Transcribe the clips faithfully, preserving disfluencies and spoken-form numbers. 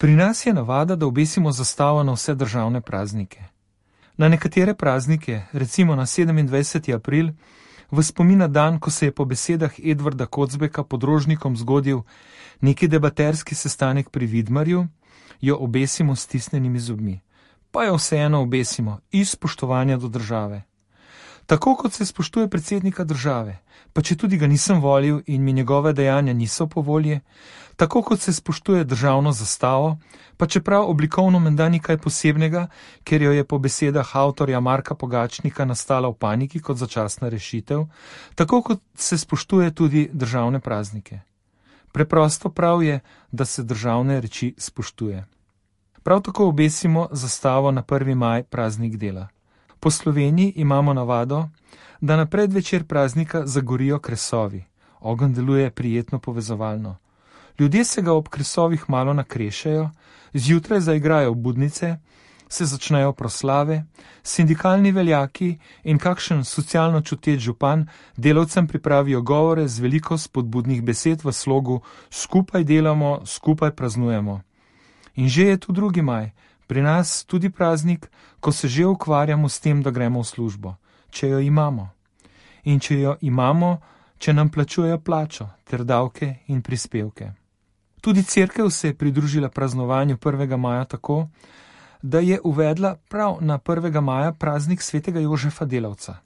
Pri nas je navada, da obesimo zastavo na vse državne praznike. Na nekatere praznike, recimo na sedemindvajseti april, v spomin na dan, ko se je po besedah Edvarda Kocbeka pod Rožnikom zgodil neki debaterski sestanek pri Vidmarju, jo obesimo s stisnjenimi zobmi. Pa jo vseeno obesimo iz spoštovanja do države. Tako kot se spoštuje predsednika države, pa če tudi ga nisem volil in mi njegove dejanja niso po volji, tako kot se spoštuje državno zastavo, pa čeprav oblikovno menda ni kaj posebnega, ker jo je po besedah avtorja Marka Pogačnika nastala v paniki kot začasna rešitev, tako kot se spoštuje tudi državne praznike. Preprosto prav je, da se državne reči spoštuje. Prav tako obesimo zastavo na prvi maj, praznik dela. Po Sloveniji imamo navado, da na predvečer praznika zagorijo kresovi. Ogenj deluje prijetno povezovalno. Ljudje se ga ob kresovih malo nakrešajo, zjutraj zaigrajo budnice, se začnejo proslave, sindikalni veljaki in kakšen socialno čuteč župan delavcem pripravijo govore z veliko spodbudnih besed v slogu skupaj delamo, skupaj praznujemo. In že je tu drugi maj, pri nas tudi praznik, ko se že ukvarjamo s tem, da gremo v službo, če jo imamo. In če jo imamo, če nam plačujejo plačo ter davke in prispevke. Tudi cerkev se je pridružila praznovanju prvega maja tako, da je uvedla prav na prvega maja praznik svetega Jožefa Delavca.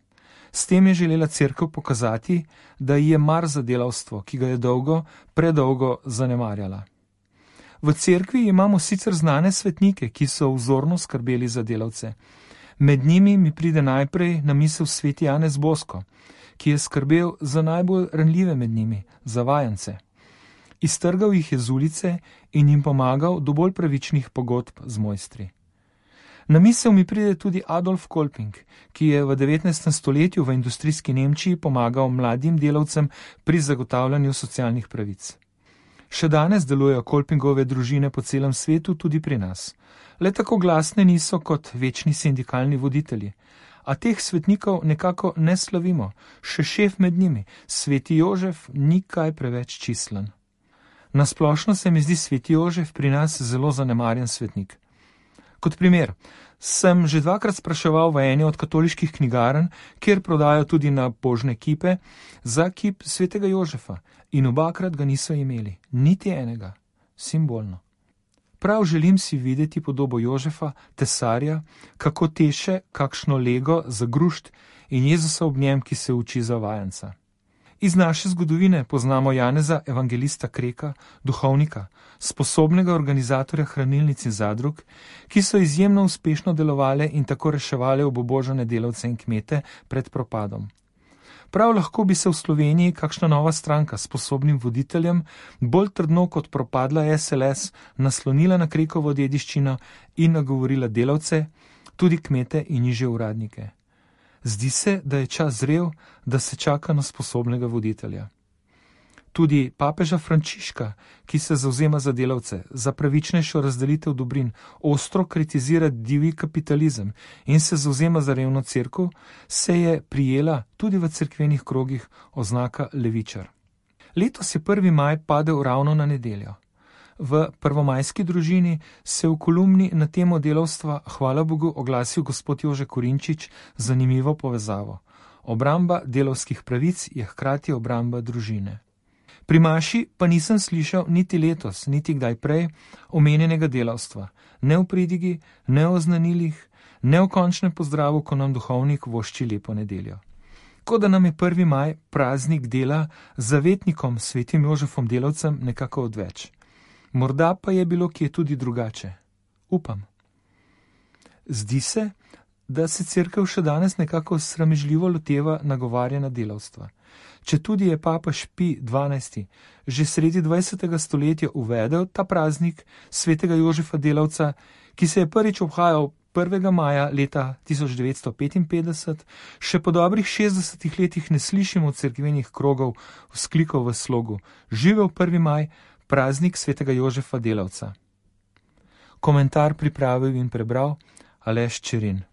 S tem je želela cerkev pokazati, da ji je mar za delavstvo, ki ga je dolgo, predolgo zanemarjala. V cerkvi imamo sicer znane svetnike, ki so vzorno skrbeli za delavce. Med njimi mi pride najprej na misel sveti Janez Bosko, ki je skrbel za najbolj ranljive med njimi, za vajence. Iztrgal jih je z ulice in jim pomagal do bolj pravičnih pogodb z mojstri. Na misel mi pride tudi Adolf Kolping, ki je v devetnajstem stoletju v industrijski Nemčiji pomagal mladim delavcem pri zagotavljanju socialnih pravic. Še danes delujejo Kolpingove družine po celem svetu, tudi pri nas. Le tako glasne niso kot večni sindikalni voditelji. A teh svetnikov nekako ne slavimo, še šef med njimi, sveti Jožef, ni kaj preveč čislen. Nasplošno se mi zdi sveti Jožef pri nas zelo zanemarjen svetnik. Kot primer, sem že dvakrat spraševal v eni od katoliških knjigarn, kjer prodajo tudi na božne kipe, za kip svetega Jožefa in obakrat ga niso imeli, niti enega, simbolno. Prav želim si videti podobo Jožefa, tesarja, kako teše kakšno lego za grušt in Jezusa ob njem, ki se uči za vajenca. Iz naše zgodovine poznamo Janeza evangelista Kreka, duhovnika, sposobnega organizatorja hranilnic in zadrug, ki so izjemno uspešno delovale in tako reševale obubožane delavce in kmete pred propadom. Prav lahko bi se v Sloveniji kakšna nova stranka s sposobnim voditeljem bolj trdno kot propadla S L S naslonila na Krekovo dediščino in nagovorila delavce, tudi kmete in nižje uradnike. Zdi se, da je čas zrel, da se čaka na sposobnega voditelja. Tudi papeža Frančiška, ki se zavzema za delavce, za pravičnejšo razdelitev dobrin, ostro kritizira divji kapitalizem in se zavzema za revno cerkev, se je prijela tudi v cerkvenih krogih oznaka levičar. Letos je prvi maj padel ravno na nedeljo. V prvomajski družini se v kolumni na temo delavstva, hvala Bogu, oglasil gospod Jože Korinčič z zanimivo povezavo. Obramba delavskih pravic je hkrati obramba družine. Pri maši pa nisem slišal niti letos, niti kdaj prej omenjenega delavstva, ne v pridigi, ne o znanilih, ne v končnem pozdravu, ko nam duhovnik vošči lepo nedeljo. Kot da nam je prvi maj, praznik dela, zavetnikom svetim Jožefom Delavcem nekako odveč. Morda pa je bilo kje tudi drugače. Upam. Zdi se, da se cerkev še danes nekako sramežljivo loteva nagovarjanja delavstva. Četudi je papež Pij dvanajsti že sredi dvajsetega stoletja uvedel ta praznik svetega Jožefa Delavca, ki se je prvič obhajal prvega maja leta tisoč devetsto petinpetdeset, še po dobrih šestdesetih letih ne slišimo cerkvenih krogov vzklikov v slogu Živel prvi maj, praznik svetega Jožefa Delavca. Komentar pripravil in prebral Aleš Čerin.